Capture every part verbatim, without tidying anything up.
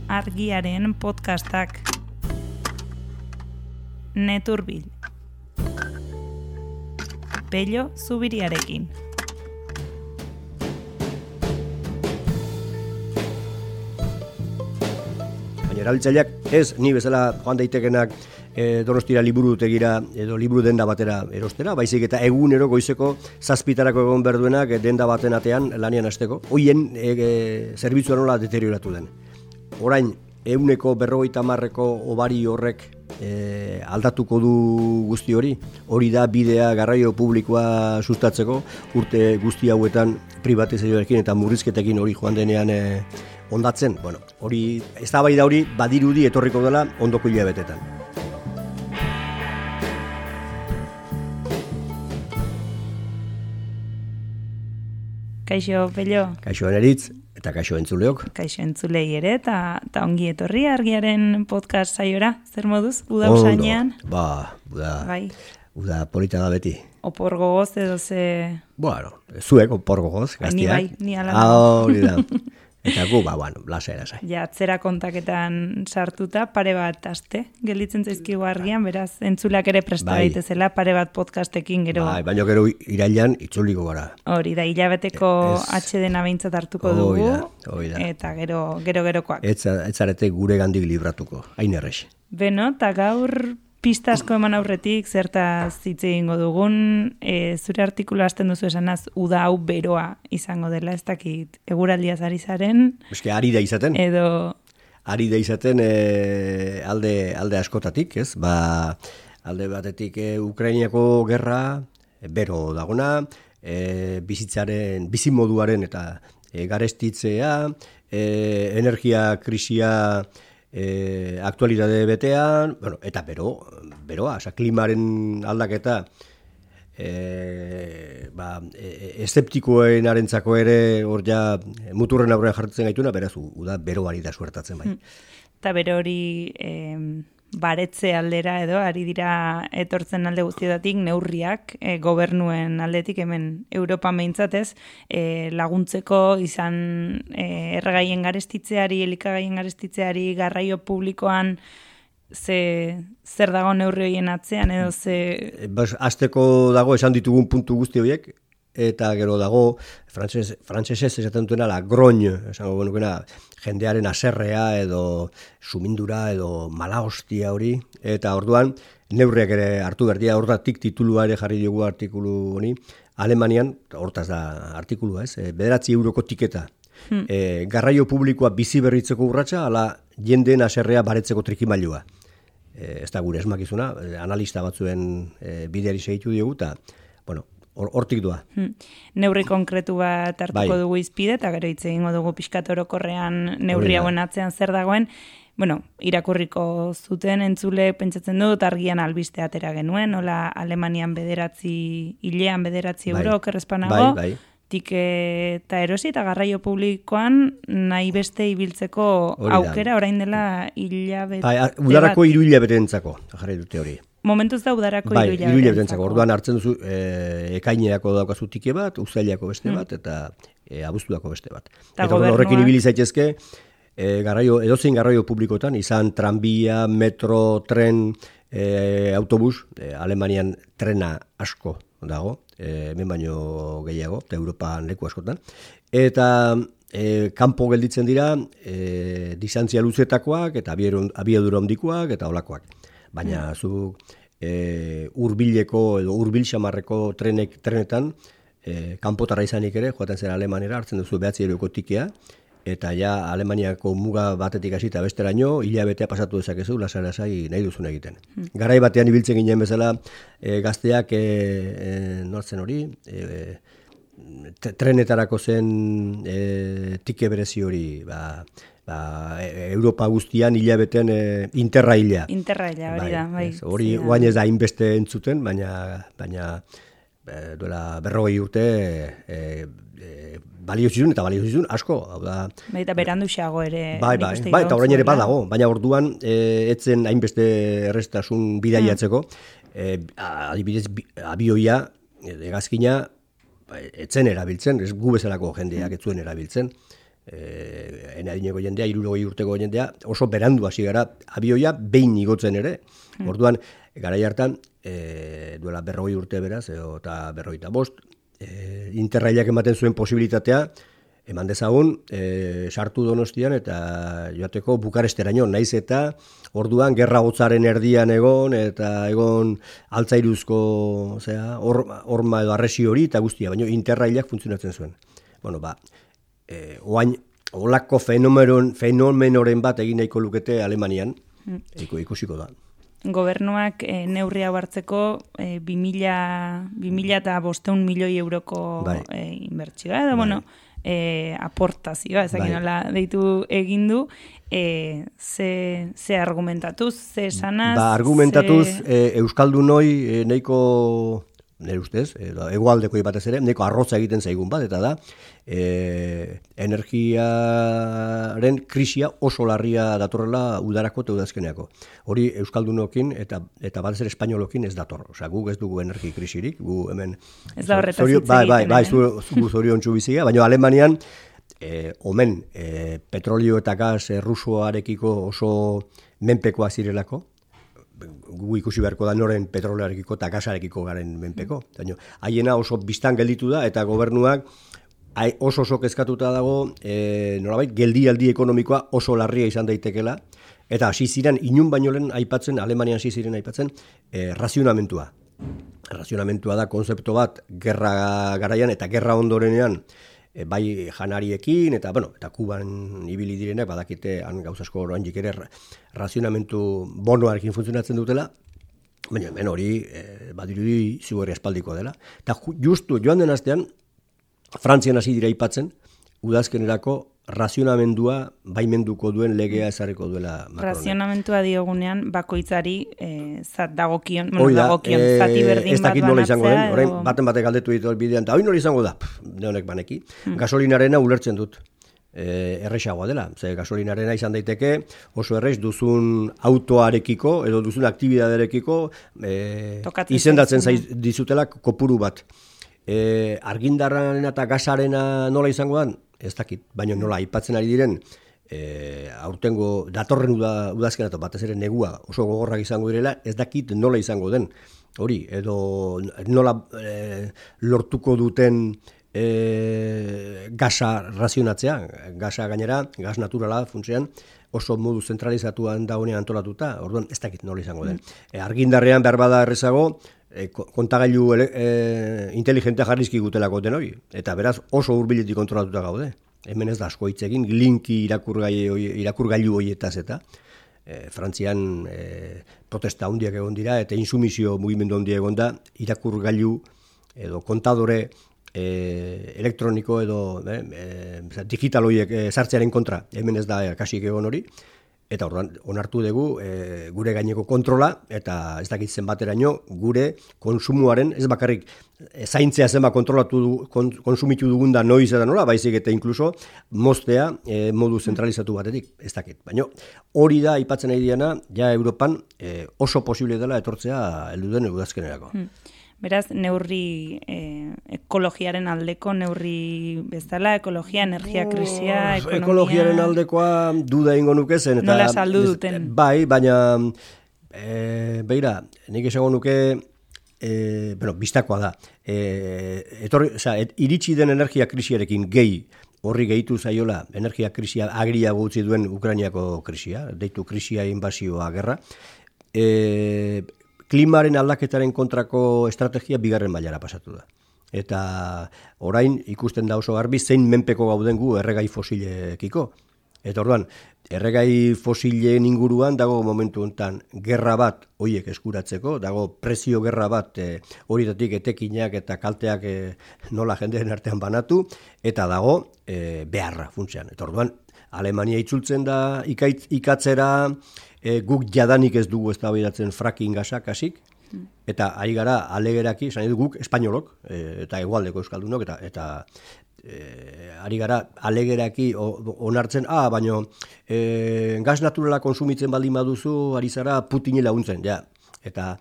Argiaren podcastak. Neturbil. Pello Zubiriarekin. Baina erabiltzaileak ez ni bezala joan daitekenak e, Donostira liburutegira edo liburu denda batera erostera, baizik eta egunero goizeko zazpitarako egon berduenak denda baten atean lanian hasteko. Hoien e, e, zerbitzua nola deterioratu den. Orain, ehuneko berrogeita hamarreko hobari horrek e, aldatuko du guzti hori. Hori da bidea garraio publikoa sustatzeko urte guzti hauetan privatizazioarekin eta murrizketekin hori joan denean e, ondatzen. Bueno, hori eztabaida hori badirudi etorriko dela ondoko hilabetetan. Kaixo, Pello. Kaixo Eneritz eta kaixo entzuleok. Kaixo entzulei ere eta ta ongi etorri Argiaren podcast saiora. Zer moduz? Uda usainean? Ba, uda. Bai. Uda polita da beti. Opor gogoz edo ze... Bueno, zuek opor gogoz, gaztiak. Ni bai, ni ala. Ah, hori da. Eta gu, ba, bueno, lasai, lasai. Ja, atzera kontaketan sartuta, pare bat aste, gelditzen zaizkigu Argian, beraz, entzuleak ere presta bai. daitezela, pare bat podcastekin gero... Bai, baina gero irailan itzuliko gara. Hori da, hilabeteko Ez- atxe dena behintzat hartuko Hoi dugu, da, hoi da. eta gero, gero gerokoak. Ez ez zarete gure gandik libratuko, hain errex. Beno, eta gaur pista asko eman aurretik, zertaz hitz egingo dugun, e, zure artikulu hasten duzu esanaz, uda hau beroa izango dela, ez dakit, eguraldiaz ari zaren, Eske ari da izaten, edo... ari da izaten e, alde, alde askotatik, ez? Ba, alde batetik e, Ukrainiako gerra, e, bero dagona, e, bizitzaren, bizimoduaren eta e, garestitzea, e, energia krisia e, aktualitate betean, bueno, eta bero, beroa, oza, klimaren aldaketa e, ba, e, eszeptikoen arentzako ere hor ja muturren aurrean jartzen gaituna, beraz, uda beroari da suertatzen bai. Eta bero hori e, baretze aldera edo, ari dira etortzen alde guztietatik neurriak e, gobernuen aldetik hemen Europa meintzatez e, laguntzeko izan e, erregaien garestitzeari, elikagaien garestitzeari, garraio publikoan ze, zer dago neurri horien atzean edo ze... Bas, azteko dago esan ditugun puntu guzti horiek, eta gero dago, frantses, frantsesez esaten duena, la groñ, esango benukena, jendearen aserrea edo sumindura edo mala hostia hori, eta orduan neurriak ere hartu berdia, hortatik titulua ere jarri diogu artikulu honi, Alemanian, hortaz da artikulua ez, bederatzi euroko tiketa, hmm. e, garraio publikoa bizi berritzeko urratsa, ala jendeen aserrea baretzeko trikimailua. E, ez da gure esmakizuna, analista batzuen e, bideari segitu diogu, eta, bueno, hortik doa. Hmm. Neurri konkretu bat hartuko Bai. dugu izpide, eta gero hitz egingo dugu pixkat orokorrean neurri hauen atzean zer dagoen. Bueno, irakurriko zuten entzule pentsatzen dut Argian albiste atera genuen, hola Alemanian bederatzi, hilean bederatzi Bai. euro, okerrezpanago, Bai, bai. tiketa erosi eta garraio publikoan nahi beste ibiltzeko Hori da. aukera orain dela hilabete Bai, udarako hiru hilabetentzako, jarri dute hori. Momentuz da udarako Bai, hiru hiru hilabetentzako. hilabetentzako. Orduan hartzen duzu e, ekainerako daukazu tike bat, uztailako beste bat, eta e, abuztuako beste bat. Ta Eta orduan horrekin gobernuak- ibili zaitezke, e, garraio, edozein garraio publikotan, izan tranbia, metro, tren, e, autobus, e, Alemanian trena asko dago, e, hemen baino gehiago, eta Europan leku askotan. Eta e, kanpo gelditzen dira, e, distantzia luzetakoak, eta abiadura abiadura handikoak, eta olakoak. Baina zu e, urbileko edo urbil xamarreko trenek, trenetan, e, kanpotarra izanik ere, joaten zera Alemanera, hartzen duzu behatzi euroko tikea, eta ja Alemaniako muga batetik hasita besteraino, hilabetea pasatu dezakezu, lasai-lasai nahi duzun egiten. Garai batean ibiltzen ginen bezala, e, gazteak, e, e, nortzen hori, e, t- trenetarako zen e, tike berezi hori, ba, ba, Europa guztian hilabetean e, interraila. Interraila, hori da, bai. ez, Hori Zera. guain ez da hainbeste entzuten, baina, baina e, duela berrogei urte e, e, balio zizun eta balio zizun asko. Hau da, Bai, eta beranduxeago ere. bai, nik bai, uste bai, eta orain ere iraun zuela. badago, baina orduan e, etzen hainbeste errestasun bidaiatzeko, e, adibidez bi- abioia, e, hegazkina, ba, etzen erabiltzen, ez gu bezalako jendeak ez zuen erabiltzen. e, enadineko jendea, hirurogei urteko jendea, oso berandu hasi gara, abioia behin igotzen ere. Mm. Orduan, garai hartan, e, duela berrogei urte beraz, edo, eta berrogeita bost, e, interrailak ematen zuen posibilitatea, eman dezagun, e, sartu Donostian eta joateko Bukaresteraino, naiz eta orduan gerra gotzaren erdian egon, eta egon altzairuzko zera, orma, orma edo arresi hori eta guztia, baina interrailak funtzionatzen zuen. Bueno, ba, e, oain, olako fenomenoren, fenomenoren bat egin nahiko lukete Alemanian, mm. ikusiko da. Gobernuak e, neurria hartzeko e, bi mila eta bosteun milioi euroko bai. e, inbertsioa, edo, bai. bueno, E, aportazioa, ezakin nola deitu egin du, e, ze, ze argumentatuz, ze esanaz... Ba, argumentatuz, ze... e, Euskaldunoi e, nahiko, nire ustez, e, egoaldeko batez ere, nahiko arrotza egiten zaigun bat, eta da, e, energiaren krisia oso larria datorrela udarako eta udazkeneako. Hori Euskaldunokin eta eta batez ere Espainolokin ez dator. Osea, guk ez dugu energi krisirik, gu hemen... Ez da horretaz hitz egiten. Bai, bai, bai, zu zoriontsu bizia, baina Alemanian, e, omen, e, petrolio eta gas e, rusoarekiko oso menpekoa zirelako, gu ikusi beharko da noren petrolearekiko eta gasarekiko garen menpeko. Haiena oso biztan gelditu da eta gobernuak oso oso kezkatuta dago, e, nolabait, geldialdi ekonomikoa oso larria izan daitekela, eta hasi ziren, inun baino lehen aipatzen, Alemanian hasi ziren aipatzen, e, razionamentua. Razionamentua da konzeptu bat, gerra garaian eta gerra ondorenean, e, bai janariekin, eta, bueno, eta Kuban ibili direnak, badakite, han gauzasko oraindik ere razionamentu bonoarekin funtzionatzen dutela, baina hemen hori, e, badirudi ziurri espaldiko dela. Eta justu joan den astean, Frantzian hasi dira aipatzen, udazkenerako razionamendua baimenduko duen legea ezarriko duela Macronek. Razionamentua diogunean bakoitzari eh, zat dagokion, bueno, dagokion eh, zati berdin bat banatzea. Nola izango den, orain baten batek galdetu ditu bidean, eta hori nola izango da, neonek baneki. Hmm. Gasolinarena ulertzen dut. E, erresagoa dela, ze gasolinarena izan daiteke oso errez duzun autoarekiko edo duzun aktibidaderekiko e, izendatzen zaiz dizutela kopuru bat. E, argindarraren eta gasarena nola izango den? Ez dakit, baina nola aipatzen ari diren e, aurtengo datorren uda, udazken eta batez ere negua oso gogorrak izango direla, ez dakit nola izango den. Hori, edo nola e, lortuko duten e, gasa razionatzea, gasa gainera, gas naturala funtzean, oso modu zentralizatuan dagoenean antolatuta, orduan ez dakit nola izango den. E, argindarrean behar bada errezago, E, kontagailu e, inteligentea jarrizki gutelako den hori, eta beraz oso hurbiletik kontrolatuta gaude. Hemen ez da asko hitz egin, linki irakurgailu, irakurgailu hoietaz eta e, Frantzian e, protesta handiak egon dira, eta insumizio mugimendu handia egon da, irakurgailu edo kontadore e, elektroniko edo e, e, digital horiek e, sartzearen kontra, hemen ez da e, kasik egon hori. Eta orduan, onartu dugu e, gure gaineko kontrola, eta ez dakit zenbateraino gure konsumoaren, ez bakarrik e, zaintzea zenbat kontrolatu du, kon, konsumitu dugun da noiz eta nola, baizik eta inkluso moztea e, modu zentralizatu batetik, ez dakit. Baina hori da aipatzen nahi diana, ja Europan e, oso posible dela etortzea heldu den udazkenerako. Hmm. Beraz, neurri eh, ekologiaren aldeko, neurri bezala, ekologia, energia krisia, ekonomia... Ekologiaren aldekoa duda ingo nuke zen. Eta, nola saldu duten? Bai, baina, e, beira, nik esango nuke, e, bueno, bistakoa da. E, etorri, oza, et, iritsi den energia krisiarekin gehi, horri gehitu zaiola, energia krisia agria gutzi duen Ukrainiako krisia, deitu krisia inbasioa gerra, e, klimaren aldaketaren kontrako estrategia bigarren mailara pasatu da. Eta orain ikusten da oso garbi zein menpeko gauden gu erregai fosilekiko. Eta orduan, erregai fosilen inguruan dago momentu honetan gerra bat horiek eskuratzeko, dago prezio gerra bat e, horietatik etekinak eta kalteak e, nola jendeen artean banatu, eta dago e, beharra funtsean. Eta orduan, Alemania itzultzen da ikaitz, ikatzera, E, guk jadanik ez dugu eztabaidatzen fracking gasak hasik, eta ari gara alegeraki, esan edu guk espainolok, e, eta hegoaldeko euskaldunok, eta, eta e, ari gara alegeraki onartzen, ah, baino e, gas naturala konsumitzen baldin baduzu, ari zara Putini laguntzen, ja. Eta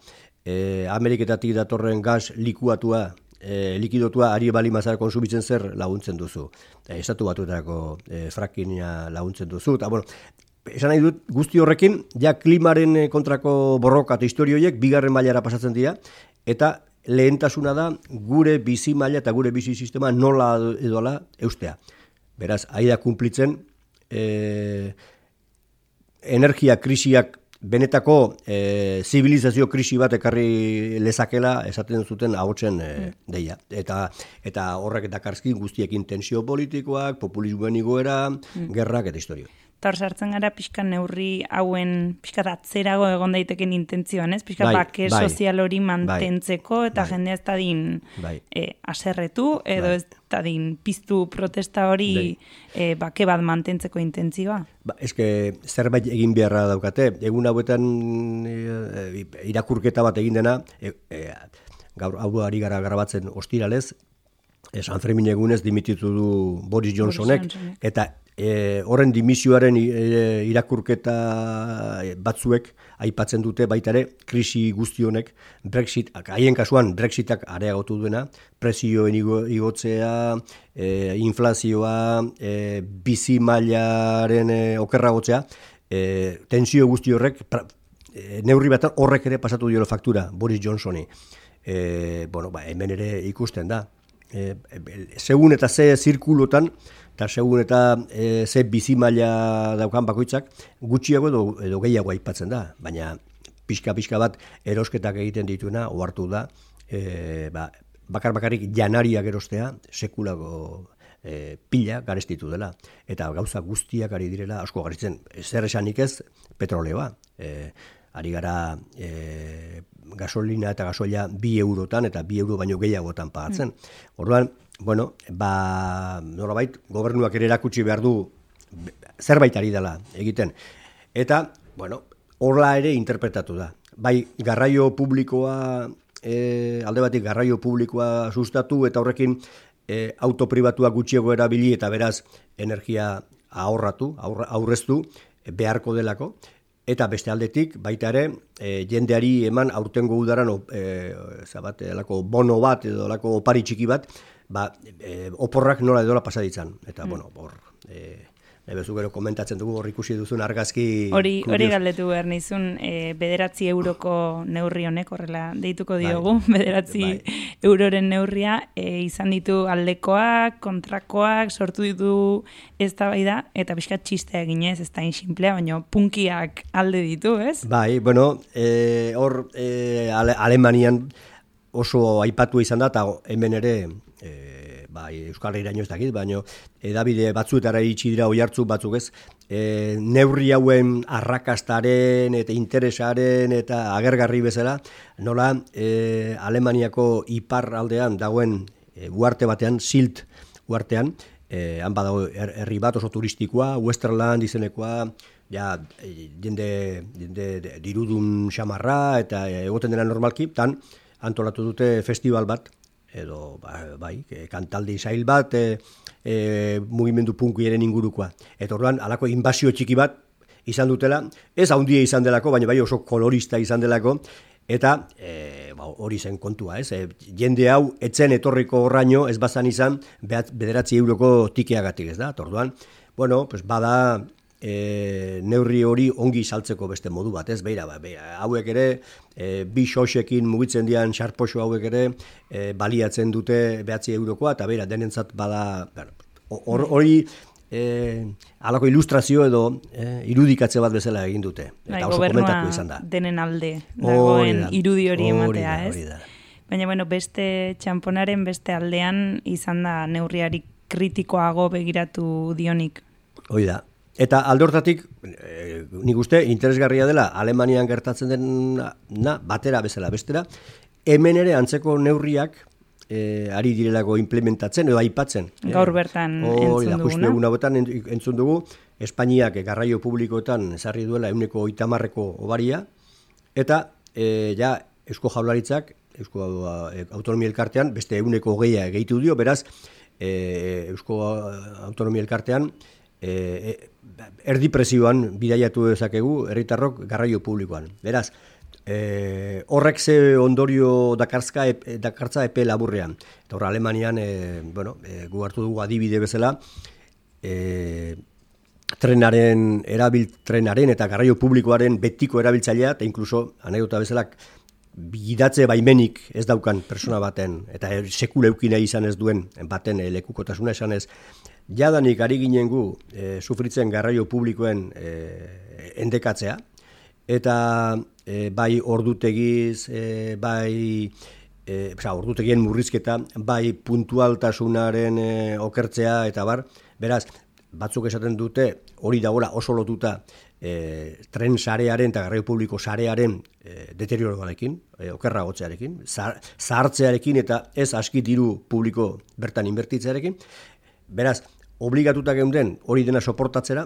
e, Ameriketatik datorren gas likuatua e, likidotua ari bali mazara konsumitzen zer laguntzen duzu. E, Estatu Batuetako e, frackinga laguntzen duzu. Eta, bueno, esan nahi dut, guzti horrekin, ja klimaren kontrako borroka eta historioiek bigarren mailara pasatzen dira, eta lehentasuna da gure bizi maila eta gure bizi sistema nola edola eustea. Beraz, ahi da kumplitzen, e, energia krisiak benetako e, zibilizazio krisi bat ekarri lezakela esaten zuten ahotsen e, deia. Eta, eta horrek dakarski guztiekin tensio politikoak, populismoen igoera, mm. gerrak eta historio. Eta hor sartzen gara pixka neurri hauen pixka atzerago egon daiteken intentzioan, ez? Pixka bai, bake bai, sozial hori mantentzeko bai, eta bai, jendea ez da din bai, e, aserretu edo bai, ez da din piztu protesta hori bai, e, bake bat mantentzeko intentzioa. Ba, eske zerbait egin beharra daukate. Egun hauetan e, irakurketa bat egin dena, e, e, gaur hau ari gara grabatzen ostiralez, e, San Fermin egunez dimititu du Boris Johnsonek, Boris Johnsonek. eta E, horren dimisioaren e, irakurketa batzuek aipatzen dute baita ere krisi guzti honek Brexit, haien kasuan Brexitak areagotu duena, prezioen igo, igotzea, e, inflazioa, e, bizi mailaren e, okerragotzea, e, tensio guzti horrek pra, e, neurri bat horrek ere pasatu dio faktura Boris Johnsoni. E, bueno, ba, hemen ere ikusten da. E, e, segun eta ze zirkulotan eta segun eta e, ze bizimaila daukan bakoitzak gutxiago edo, edo gehiago aipatzen da, baina pixka-pixka bat erosketak egiten dituena ohartu da, e, ba, bakar-bakarrik janariak erostea sekulako e, pila garestitu dela, eta gauza guztiak ari direla asko garitzen, zer esanik ez petroleoa, e, ari gara e, gasolina eta gasoila bi eurotan eta bi euro baino gehiagotan pagatzen. Mm. Orduan, bueno, ba, nolabait, gobernuak ere erakutsi behar du zerbait ari dela egiten. Eta, bueno, horla ere interpretatu da. Bai, garraio publikoa, e, alde batik garraio publikoa sustatu eta horrekin e, auto pribatua gutxiago erabili eta beraz energia ahorratu, aurra, aurreztu beharko delako. Eta beste aldetik, baita ere, e, jendeari eman aurtengo udaran e, zabat, elako bono bat edo elako opari txiki bat, ba, e, oporrak nola edola pasaditzan. Eta, mm. bueno, hor, e, nahi bezu gero komentatzen dugu, hor ikusi duzun argazki... Hori, hori galdetu behar nizun, e, bederatzi euroko neurri honek, horrela deituko diogu, bai, bederatzi bai, euroren neurria, e, izan ditu aldekoak, kontrakoak, sortu ditu eztabaida eta pixkat txistea eginez, ez da inxinplea, baina punkiak alde ditu, ez? Bai, bueno, e, hor e, Ale, Alemanian oso aipatu izan da, eta hemen ere... E, bai, Euskal Herriraino ez dakit, baina edabide batzuetara iritsi dira oihartzu batzuk ez, e, neurri hauen arrakastaren eta interesaren eta agergarri bezala, nola e, Alemaniako ipar aldean dagoen e, uarte batean, Silt uartean, e, han badago herri bat oso turistikoa, Westerland izenekoa, ja, jende, jende dirudun xamarra eta egoten dena normalki, tan antolatu dute festival bat, edo bai, kantaldi zail bat, e, e, mugimendu punkiaren ingurukoa. Eta orduan, halako inbasio txiki bat izan dutela, ez handia izan delako, baina bai oso kolorista izan delako, eta e, ba, hori zen kontua, ez? E, jende hau, etzen etorriko horraino, ez bazan izan, bederatzi euroko tikeagatik, ez da? Eta orduan, bueno, pues bada... E, neurri hori ongi saltzeko beste modu bat, ez? Beira, ba, beira, hauek ere e, bi xoxekin mugitzen dian xarpoxo hauek ere e, baliatzen dute behatzi eurokoa, eta beira, denentzat bada hori e, halako ilustrazio edo e, irudikatze bat bezala egin dute. Eta bai, oso komentatu izan da. Denen alde dagoen irudi hori ematea, ez? Baina, bueno, beste txamponaren beste aldean izan da neurriari kritikoago begiratu dionik. Hoi da. Eta alde hortatik, e, nik uste, interesgarria dela, Alemanian gertatzen den na, batera bezala bestera, hemen ere antzeko neurriak e, ari direlako implementatzen edo aipatzen. Gaur bertan e, entzun duguna. Justu egun hauetan entzun dugu, Espainiak garraio publikoetan ezarri duela ehuneko hogeita obaria, eta e, ja Eusko Jaurlaritzak, Eusko Autonomia Elkartean, beste ehuneko hogeia gehitu dio, beraz, e, Eusko Autonomia Elkartean, E, erdi presioan bidaiatu dezakegu herritarrok garraio publikoan. Beraz, E, horrek ze ondorio dakartzka ep, dakartza epe laburrean. Eta hor, Alemanian, e, bueno, e, gu hartu dugu adibide bezala, e, trenaren, erabil, trenaren eta garraio publikoaren betiko erabiltzailea, eta inkluso, anekdota bezala, gidatze baimenik ez daukan persona baten, eta sekule eukina izan ez duen baten e, lekukotasuna esan ez, jadanik ari ginen gu e, sufritzen garraio publikoen e, endekatzea, eta e, bai ordutegiz, e, bai e, oza, ordutegien murrizketa, bai puntualtasunaren e, okertzea, eta bar, beraz, batzuk esaten dute hori dagoela oso lotuta e, tren sarearen eta garraio publiko sarearen e, deterioroarekin, e, okerra gotzearekin, zahartzearekin eta ez aski diru publiko bertan inbertitzearekin, beraz, obligatuta geunden hori dena soportatzera,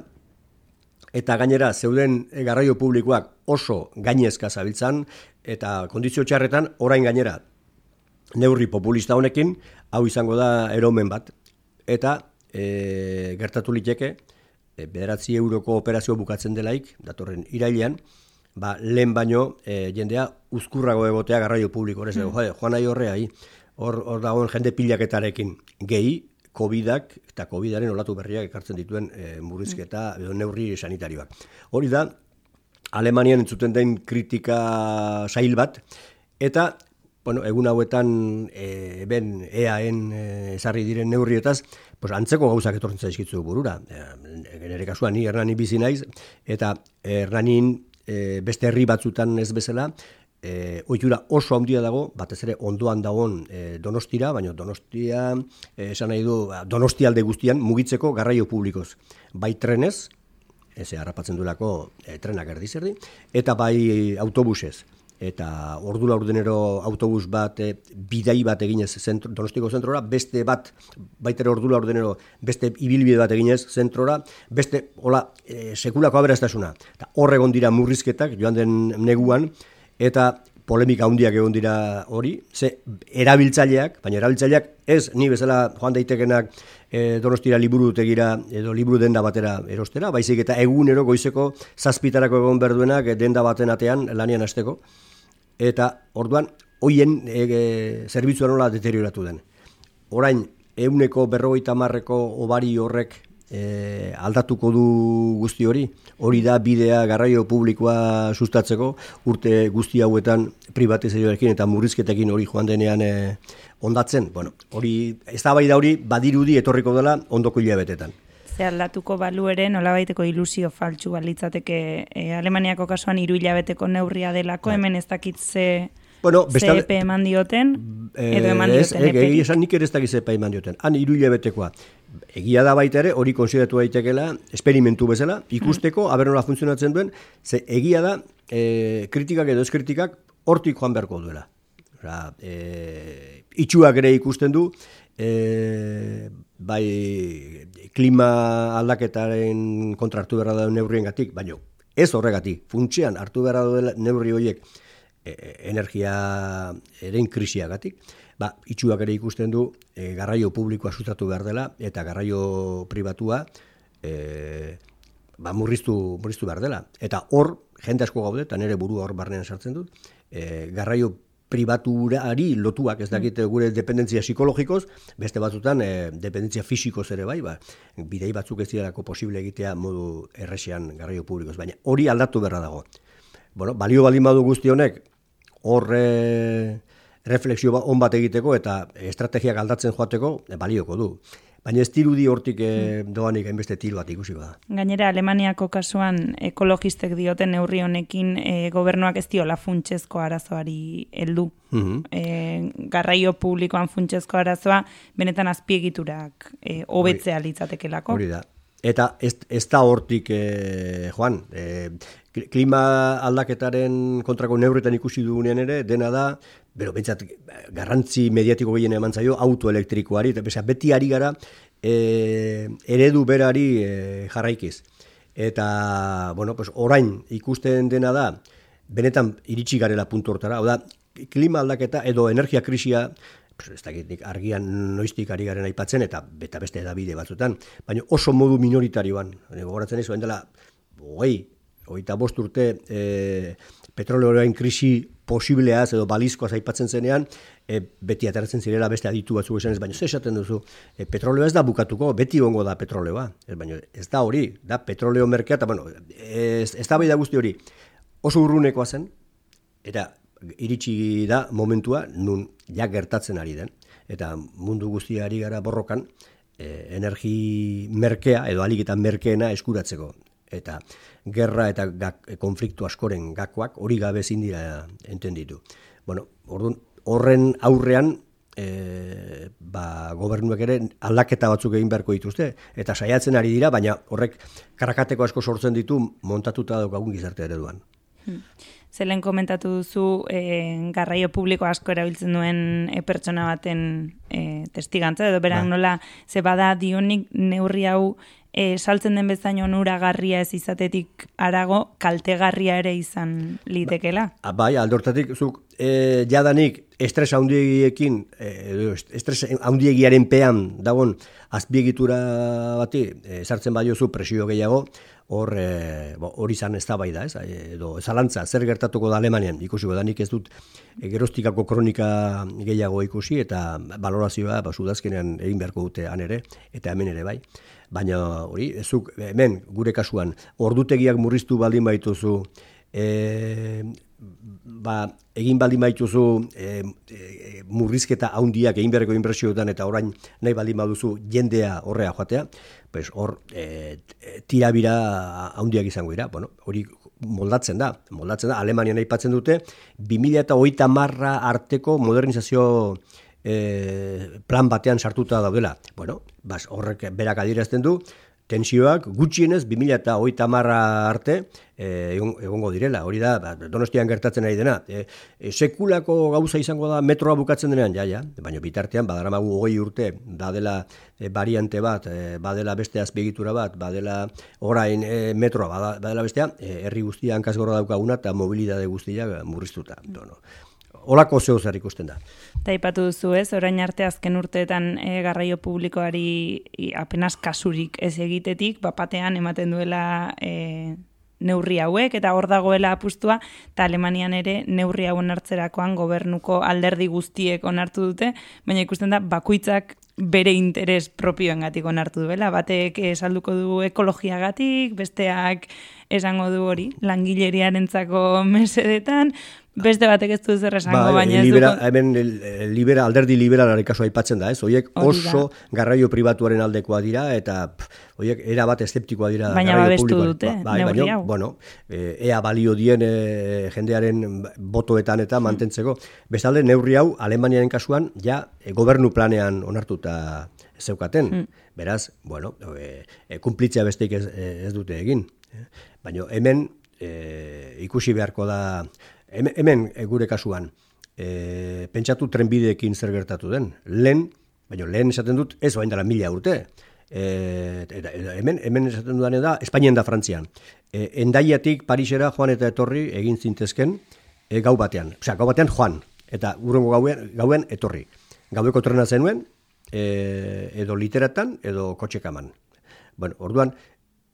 eta gainera zeuden garraio publikoak oso gainezka zabiltzan, eta kondizio txarretan orain gainera neurri populista honekin, hau izango da eromen bat, eta e, gertatu liteke, e, bederatzi euroko operazio bukatzen delaik, datorren irailean, ba, lehen baino e, jendea uzkurrago egotea garraio publiko, horrez, mm. joan nahi horrea, hor, hor dagoen jende pilaketarekin gehi, Covidak eta Covidaren olatu berriak ekartzen dituen e, murrizketa edo neurri sanitarioak. Hori da, Alemanian entzuten den kritika sail bat, eta bueno, egun hauetan e, ben E A en e, ezarri diren neurrietaz, pues, antzeko gauzak etortzen zaizkitzu burura. E, nire kasuan ni Hernani bizi naiz, eta Hernanin e, beste herri batzutan ez bezala, E, ohitura oso handia dago, batez ere ondoan dagoen e, Donostira, baina Donostia, e, esan nahi du, Donostialde guztian mugitzeko garraio publikoz. Bai trenez, ez harrapatzen duelako e, trenak erdizerdi, eta bai autobusez. Eta ordu laurdenero autobus bat, e, bidai bat eginez zentro, Donostiko zentrora, beste bat, baitere ordu laurdenero, beste ibilbide bat eginez zentrora, beste, hola, e, sekulako aberastasuna. Eta horregon dira murrizketak, joan den neguan, eta polemika handiak egon dira hori, ze erabiltzaileak, baina erabiltzaileak ez ni bezala joan daitekenak e, Donostira liburutegira edo liburu denda batera erostera, baizik eta egunero goizeko zazpitarako egon berduenak denda baten atean lanian hasteko, eta orduan hoien e, e, zerbitzua nola deterioratu den. Orain, ehuneko berrogeita hamarreko obari horrek E, aldatuko du guzti hori, hori da bidea garraio publikoa sustatzeko, urte guzti hauetan privatizazioarekin eta murrizketekin hori joan denean e, ondatzen. Bueno, hori, eztabaida hori badirudi etorriko dela ondoko hilabetetan. Ze aldatuko balu ere nolabaiteko ilusio faltsu balitzateke e, Alemaniako kasuan hiru hilabeteko neurria delako, hemen ez dakit ze... Bueno, bestal... zepe eman dioten, edo eman dioten eperik. Ez, egia esan nik ere ez dakit zepe eman dioten. Han hiru hilabetekoa. Egia da baita ere, hori konsideratu daitekela, esperimentu bezala, ikusteko, mm. aber nola funtzionatzen duen, ze egia da, e, kritikak edo ez kritikak, hortik joan beharko duela. Osa, e, itxuak ere ikusten du, e, bai klima aldaketaren kontra hartu beharra da neurrien gatik, baina ez horregatik, funtsean hartu beharra duela neurri horiek, energia eren krisiagatik, ba, itxuak ere ikusten du e, garraio publikoa sustatu behar dela eta garraio pribatua e, ba, murriztu, murriztu behar dela. Eta hor, jende asko gaude, eta nire burua hor barnean sartzen dut, e, garraio pribaturari lotuak, ez dakit gure dependentzia psikologikoz, beste batzutan e, dependentzia fisikoz ere bai, ba, bidei batzuk ez direlako posible egitea modu erresean garraio publikoz, baina hori aldatu beharra dago. Bueno, balio baldin badu guzti honek, hor e, refleksio on bat egiteko eta estrategiak aldatzen joateko e, balioko du. Baina ez dirudi hortik e, doanik hainbeste tiro bat ikusi da. Gainera, Alemaniako kasuan ekologistek dioten neurri honekin e, gobernuak ez diola funtsezko arazoari heldu. Mm-hmm. E, garraio publikoan funtsezko arazoa benetan azpiegiturak e, hobetzea litzatekelako. Hori da. Eta ez, ez da hortik, e, Joan, e, klima aldaketaren kontrako neurretan ikusi dugunean ere, dena da, bero, bentsat, garrantzi mediatiko gehien eman zaio, autoelektrikoari, eta beza, beti ari gara e, eredu berari e, jarraikiz. Eta, bueno, pues, orain ikusten dena da, benetan iritsi garela puntu hortara, hau da, klima aldaketa edo energia krisia, ez dakit argian noiztik ari garen aipatzen, eta beta beste edabide batzutan, baina oso modu minoritarioan, gogoratzen ez, dela, hogei, hogeita bost urte e, petroleoaren krisi posibleaz edo balizkoaz aipatzen zenean, e, beti ateratzen zirela beste aditu batzuk esan ez, baina ze esaten duzu, e, petroleo ez da bukatuko, beti gongo da petroleoa, ez, baina ez da hori, da petroleo merkea, eta bueno, ez, ez da bai da guzti hori, oso urrunekoa zen, eta iritsi da momentua nun ja gertatzen ari den, eta mundu guztiari gara borrokan, e, energi merkea edo alik eta merkeena eskuratzeko. Eta gerra eta gak, konfliktu askoren gakoak hori gabe ezin dira entenditu. Bueno, orduan, horren aurrean e, ba, gobernuak ere aldaketa batzuk egin beharko dituzte, eta saiatzen ari dira, baina horrek karakateko asko sortzen ditu montatuta daukagun gizarte ereduan. Hmm. Zelen komentatu duzu e, garraio publiko asko erabiltzen duen e, pertsona baten e, testigantza, edo berak nola, ze bada dionik neurri hau e, saltzen den bezain onuragarria ez izatetik arago, kaltegarria ere izan litekela? Ba, bai, aldortatik, zuk e, jadanik estres handiekin, e, estres handiegiaren pean dagoen azpiegitura bati, e, sartzen badiozu presio gehiago, hor e, hori izan ez da bai da, ez? Edo zalantza, zer gertatuko da Alemanian, ikusiko da, nik ez dut e, gerostikako kronika gehiago ikusi, eta balorazioa ba, sudazkenean egin beharko dute han ere, eta hemen ere bai. Baina hori, ezuk hemen gure kasuan, ordutegiak murriztu baldin baituzu, e, ba, egin baldin baituzu e, e, murrizketa handiak egin beharreko inbertsioetan eta orain nahi baldin baduzu jendea horrea joatea, pues hor e, tirabira handiak izango dira. Bueno, hori moldatzen da, moldatzen da, Alemanian aipatzen dute, bi mila hogeita hamarra arteko modernizazio e, plan batean sartuta daudela. Bueno, bas, horrek berak adierazten du, tensioak gutxienez bi mila hogeita hamarra arte e, egongo direla. Hori da, ba, Donostian gertatzen ari dena. E, e, sekulako gauza izango da metroa bukatzen denean, ja, ja. Baina bitartean, badaramagu hogei urte, badela e, variante bat, e, badela beste azpiegitura bat, badela orain e, metroa, badela bestea, e, herri guztia hankazgorra daukaguna eta mobilidade guztia murriztuta. Dono. Olako zeo zer ikusten da. Eta ipatu duzu ez, orain arte azken urteetan e, garraio publikoari i, apenas kasurik ez egitetik, bapatean ematen duela e, neurri hauek, eta hor dagoela apustua, eta Alemanian ere neurri hauen hartzerakoan gobernuko alderdi guztiek onartu dute, baina ikusten da bakoitzak bere interes propioengatik onartu duela, batek salduko du ekologiagatik, besteak esango du hori, langileriarentzako mesedetan, beste batek ez du zer esango, ba, baina ez libera, duko... Hemen libera, alderdi liberalari kasu aipatzen da, ez? Oiek oso garraio pribatuaren aldekoa dira, eta oiek era bat eszeptikoa dira baina garraio publikoa. Baina babestu dute, ba, neurri hau. Bueno, e, ea balio dien e, jendearen botoetan eta mantentzeko. Bestalde, neurri hau, Alemaniaren kasuan, ja, e, gobernu planean onartuta zeukaten. Hmm. Beraz, bueno, e, e, kumplitzea besteik ez, ez dute egin. Baina hemen e, ikusi beharko da, hemen, hemen e, gure kasuan, e, pentsatu trenbideekin zer gertatu den. Lehen, baina lehen esaten dut, ez bain dela mila urte. E, eta, eta hemen, hemen esaten dudan da, Espainian da Frantzian. E, Endaiatik Parisera joan eta etorri egin zintezken e, gau batean. Osea, gau batean joan, eta urrengo gauen, gauen etorri. Gaueko trena zenuen, e, edo literatan, edo kotxekaman. Bueno, orduan,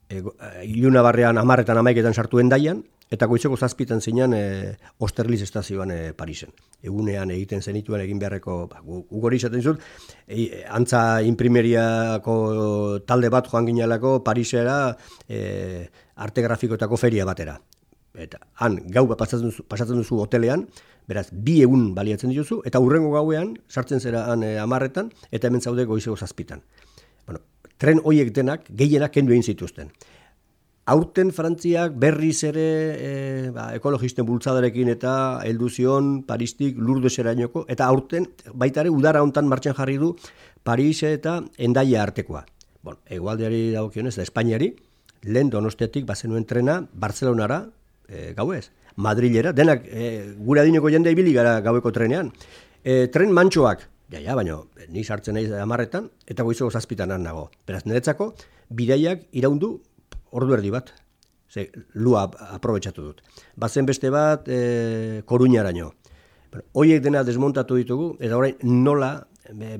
e, iluna barrean amarretan amaiketan sartu Endaian, eta goizeko zazpitan zinean e, Austerlitz estazioan e, Parisen. Egunean egiten zenituen egin beharreko, ba, gugori izaten zut, e, antza imprimeriako talde bat joan ginelako Parisera e, arte grafikoetako feria batera. Eta han gau pasatzen duzu, pasatzen duzu hotelean, beraz, bi egun baliatzen dituzu, eta hurrengo gauean, sartzen zera han e, amarretan, eta hemen zaude goizeko zazpitan. Bueno, tren hoiek denak, gehienak kendu egin zituzten. Aurten Frantziak berriz ere e, ba, ekologisten bultzadarekin eta heldu zion Paristik Lourdeserainoko, eta aurten baita ere udara hontan martxan jarri du Paris eta Hendaia artekoa. Bueno, hegoaldeari dagokionez, da Espainiari, lehen Donostiatik bazenuen trena Barcelonara e, gauez. Madrilera, denak e, gure adineko jende ibili gara gaueko trenean. E, tren mantxoak, ja, ja, baina ni sartzen naiz hamarretan, eta goizeko zazpitan nago. Beraz, niretzako, bidaiak iraundu ordu erdi bat. Ze, lua aprobetxatu dut. Bazen beste bat, e, Koruñaraino. Bueno, hoiek dena desmontatu ditugu, eta orain nola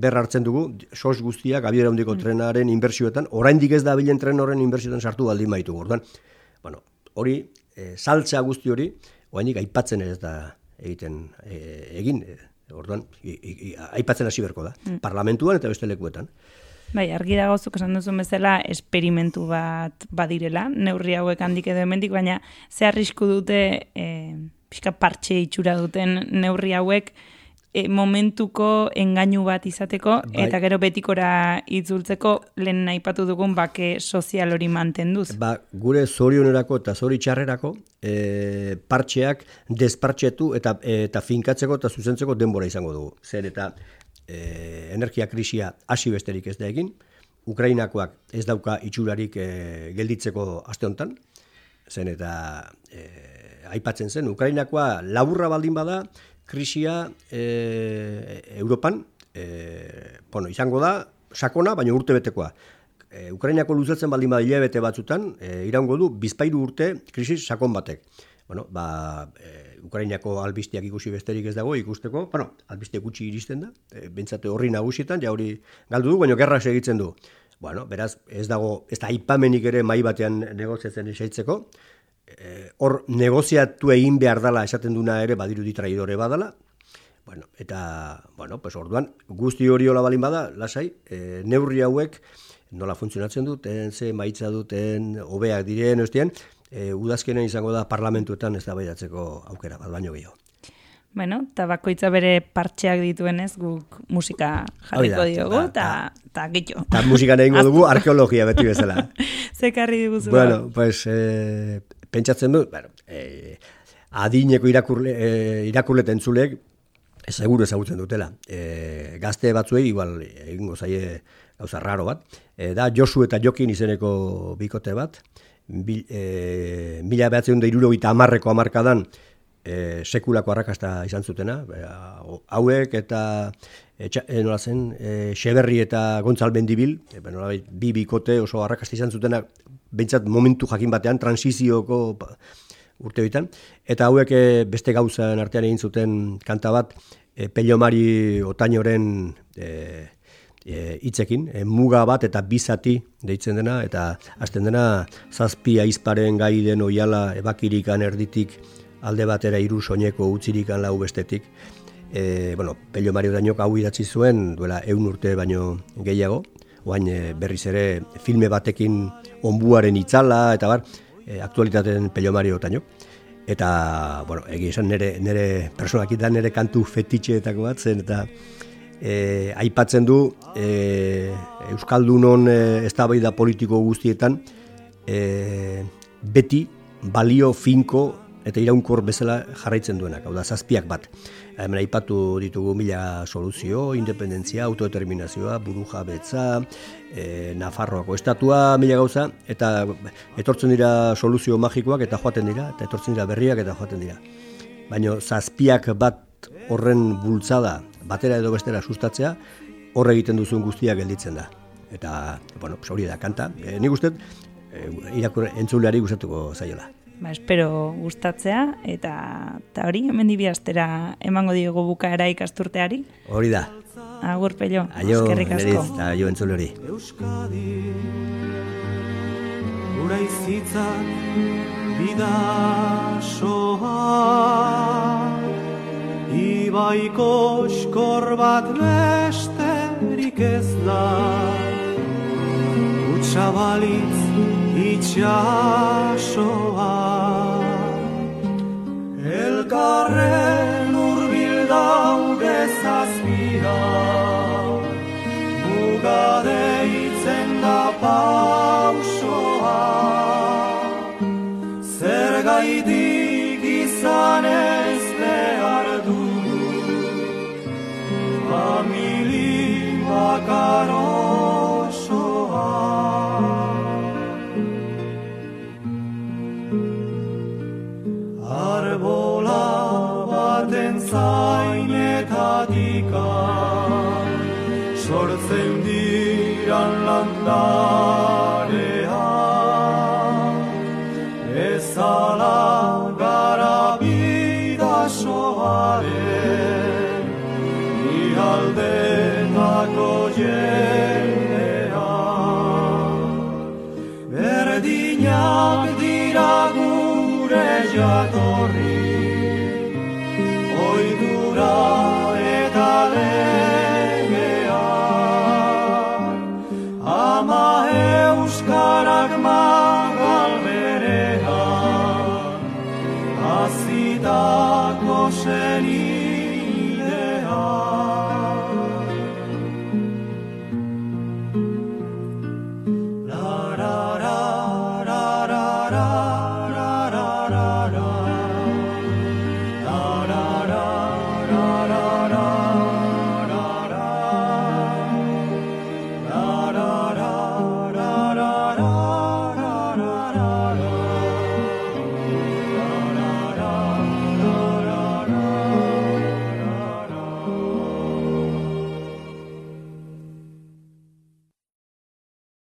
berra hartzen dugu, sos guztiak abiera handiko mm. trenaren inbertsioetan, oraindik ez da bilen tren horren inbertsioetan sartu baldin baitugu. Orduan, bueno, hori, e, saltza guzti hori, oainik aipatzen ez da egiten e, egin, e, orduan, i, i, aipatzen hasi berko da, mm. parlamentuan eta beste lekuetan. Bai, argi dago zuk esan duzun bezala esperimentu bat badirela, neurri hauek handik edo hemendik, baina ze arrisku dute e, pixka partxe itxura duten neurri hauek e, momentuko engainu bat izateko, bai. Eta gero betikora itzultzeko lehen aipatu dugun bake sozial hori mantenduz. Ba, gure zorionerako eta zori txarrerako e, partxeak despartxetu eta, eta finkatzeko eta zuzentzeko denbora izango dugu. Zer eta E, energia krisia hasi besterik ez da egin, Ukrainakoak ez dauka itxurarik e, gelditzeko aste honetan, zen eta e, aipatzen zen, Ukrainakoa laburra baldin bada, krisia e, Europan, e, bueno, izango da, sakona, baina urte betekoa. E, Ukrainako luzatzen baldin bada hilabete batzutan, e, iraungo du, bizpairu urte krisi sakon batek. Bueno, ba, e, Ukrainako albisteak ikusi besterik ez dago ikusteko, bueno, albiste gutxi iristen da, e, bentsate horri nagusietan, ja hori galdu du, baina gerra segitzen du. Bueno, beraz, ez dago, ez da aipamenik ere mai batean negoziatzen esaitzeko, e, hor negoziatu egin behar dala esaten duna ere badirudi traidore badala, bueno, eta, bueno, pues orduan, guzti hori hola balin bada, lasai, e, neurri hauek nola funtzionatzen duten, ze maitza duten, hobeak diren, ostien, E, udazkenen izango da parlamentuetan ez da baidatzeko aukera, bat baino gehiago. Bueno, eta bakoitza bere partxeak dituenez guk musika jarriko diogu, eta gitxo. Eta musika egingo dugu arkeologia beti bezala. Zekarri diguzu. Bueno, pues, e, pentsatzen du, bueno, e, adineko irakurle, e, irakurleta entzulek, seguru ezagutzen dutela. E, gazte batzuei, igual, egingo zaie gauza raro bat, e, da Josu eta Jokin izeneko bikote bat, Bil, e, mila behatzen da irurogeita amarreko amarkadan e, sekulako arrakasta izan zutena, e, hauek eta e, txa, e, nola zen, e, Xeberri eta Gontzal Mendibil, e, nola, bi bikote oso arrakasta izan zutena, behintzat momentu jakin batean, transizioko urte bitan, eta hauek e, beste gauzan artean egin zuten kanta bat, e, Pelomari Otainoren e, hitzekin, e, muga bat eta bizati deitzen dena, eta hasten dena zazpi aizparen gai den oiala ebakirikan erditik alde batera hiru soineko utzirikan lau bestetik. E, bueno, Pello Mari Otainok hau idatzi zuen duela ehun urte baino gehiago, oain e, berriz ere filme batekin onbuaren itzala, eta bar, e, aktualitateen Pello Mari Otainok. Eta, bueno, egia esan nire, nire personakitan nire kantu fetitxeetako bat zen, eta E, aipatzen du e, Euskaldunon e, eztabaida politiko guztietan e, beti balio finko eta iraunkor bezala jarraitzen duenak, hau da zazpiak bat. Hemen aipatu ditugu mila soluzio, independentzia, autodeterminazioa, burujabetza, e, Nafarroako estatua, mila gauza, eta etortzen dira soluzio magikoak eta joaten dira, eta etortzen dira berriak eta joaten dira. Baina zazpiak bat horren bultzada batera edo bestera sustatzea, horre egiten duzun guztia gelditzen da. Eta, bueno, hori da kanta. E, nik uste, e, irakur entzuleari gustatuko zaiola. Ba, espero gustatzea, eta, eta hori, hemen dibiaztera emango diogu bukaera ikasturteari. Hori da. Agur, Pello. Aio, neriz, eta aio entzuleri. Euskadi, gura izitzak bidasoa, ibaiko oskor bat besterik ez da, utsabalitz itxasoa. Elkarren urbil daude zazpira, muga deitzen da pausoa, zergaitik izan ez behar famili bakar osoa. Arbola baten zainetatika sortzen diran landarea, ezala gara bidasoaren aldetako jendea. Berdinak dira gure jatorri,